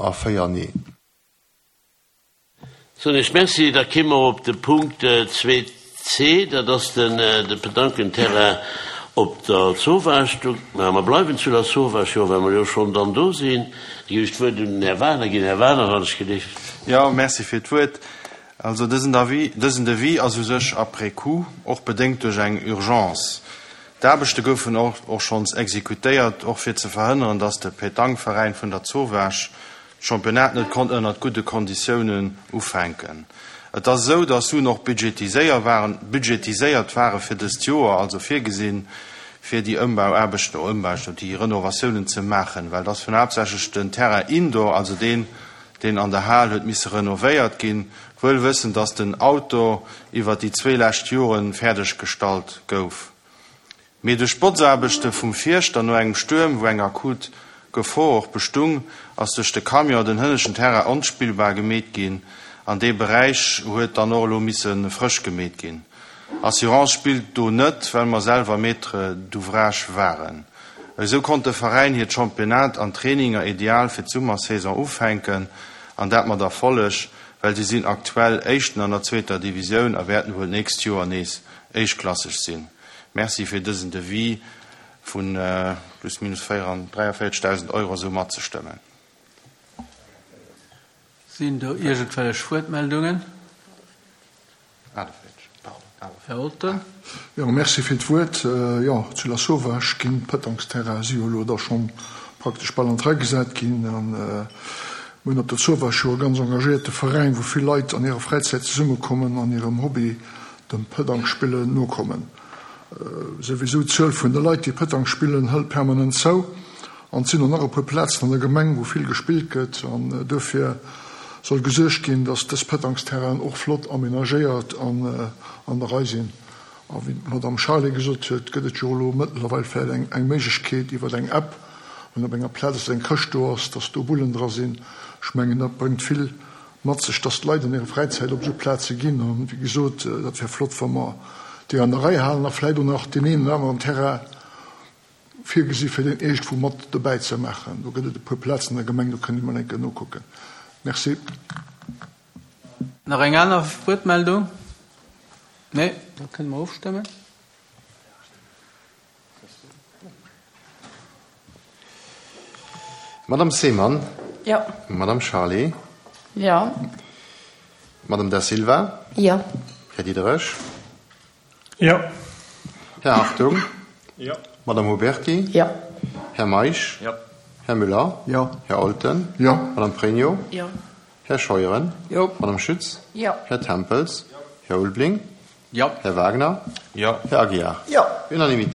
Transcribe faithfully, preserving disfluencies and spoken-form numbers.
a véier Nee. Soen ech Merci. Da kéime mer op de Punkt zwee C, dat ass den de Petanquenterrain op der Zowaasch. Do, mä mer bleiwen zu der Zowaasch, jo, well mer jo schonn dann do sinn. Da ginn ech d'Wuert un den Här Wagner. Ginn, Här Wagner, wann ech gelift. Jo, merci fir d'Wuert. Also dësen Avis, dësen Devis ass u sech après coup, och bedéngt duerch eng Urgence. D'Aarbechte goufen och och schonns exekutéiert, och fir ze verhënneren, dass de Pétanqueveräin vun der Zowaasch d'Championnat net konnt ënnert gudde Konditiounen ufänken. Et ass esou, dass Suen och budgetiséier waren, budgetiséiert ware fir dëst Joer, also virgesinn, fir déi Ëmbauaarbechten, oh Ëmbauaarbechten, déi Renovatiounen ze maachen, well et ass vun haaptsächlech den Terrain indoor, also deen, deen an der Hal huet misse renovéiert ginn, wuel wëssend, dass den Outdoor iwwert déi zwee lescht Jore fäerdeg gestallt gouf. Mee duerch d'Botzaarbechte vum Fierschter no engem Stuerm, wou eng akut Gefor och bestung, ass duerch de Camion den hënneschten Terrain onspillbar gemeet ginn an dee Beräich huet dann och elo misse frësch gemeet ginn. Assurance spillt do net, well mer selwer Maître d'ouvrage waren. Esou konnt de Veräin hiert Championnat an Traininger ideal fir d'Summersaison ufänken an dat mat Erfolleg, well si sinn aktuell Éischten an der zweeter Divisioun a wäerten wuel d'nächst Joer nees éischtklasseg sinn. Merci fir dësen Devis vu plus minus dräiavéierzegdausend Euro esou matzestëmmen. Sinn do iergendwellech Wuertmeldungen? Här Olten. Jo, merci fir d'Wuert. Jo, zu Lasauvage ginn d'Pëtangsterraine si jo elo da schonn praktesch bal an d'Rei gesat ginn. A mir hunn op der Zowaasch jo e ganz engagéierte Veräin, wou vill Leit an hirer Fräizäit zesummekommen an hirem Hobby, dem Pëtangspillen, nokommen. Souwisou, d'Zuel vun de Leit, déi Pëtang spillen, hëlt permanent zou. An et sinn och nach e puer Plazen an der Gemeng, wou vill gespillt gëtt. An duerfir soll gesuergt ginn, dass dës Pëtangsterrainen och flott amenagéiert an an der Rei sinn. A wéi d'Madame Charlé gesot huet, gëtt et jo elo mëttlerweil vläicht eng eng Méiglechkeet iwwer eng App, wann op enger Plaz eng Këscht do ass, dass do Bullen dra sinn. Ech mengen, dat bréngt vill mat sech, dass d'Leit an hirer Fräizäit op esou Plaze ginn. An, wéi gesot, dat wär flott, wa mer déi an der Rei halen a vläicht och nach deen een oder aneren Terrain virgesi fir deen iergendwou mat dobäi ze maachen. Do gëtt et e puer Plazen an der Gemeng, do kënnt Dir mol eng Kéier nokucken. Merci. Nach eng aner Wuertmeldung? Nee, da kënne mer ofstëmmen. Madame Seemann. Jo. Madame Charlé. Jo. Madame Da Silva. Jo. Här Diderich. Jo. Här Hartung. Jo. Madame Huberti. Jo. Här Meisch. Jo. Här Müller. Jo. Här Olten. Jo. Madame Pregno. Jo. Här Scheuren. Jo. Madame Schütz. Jo. Här Tempels. Här Ulbling. Jo. Här Wagner. Jo. Här Aguiar. Jo. Unanimité.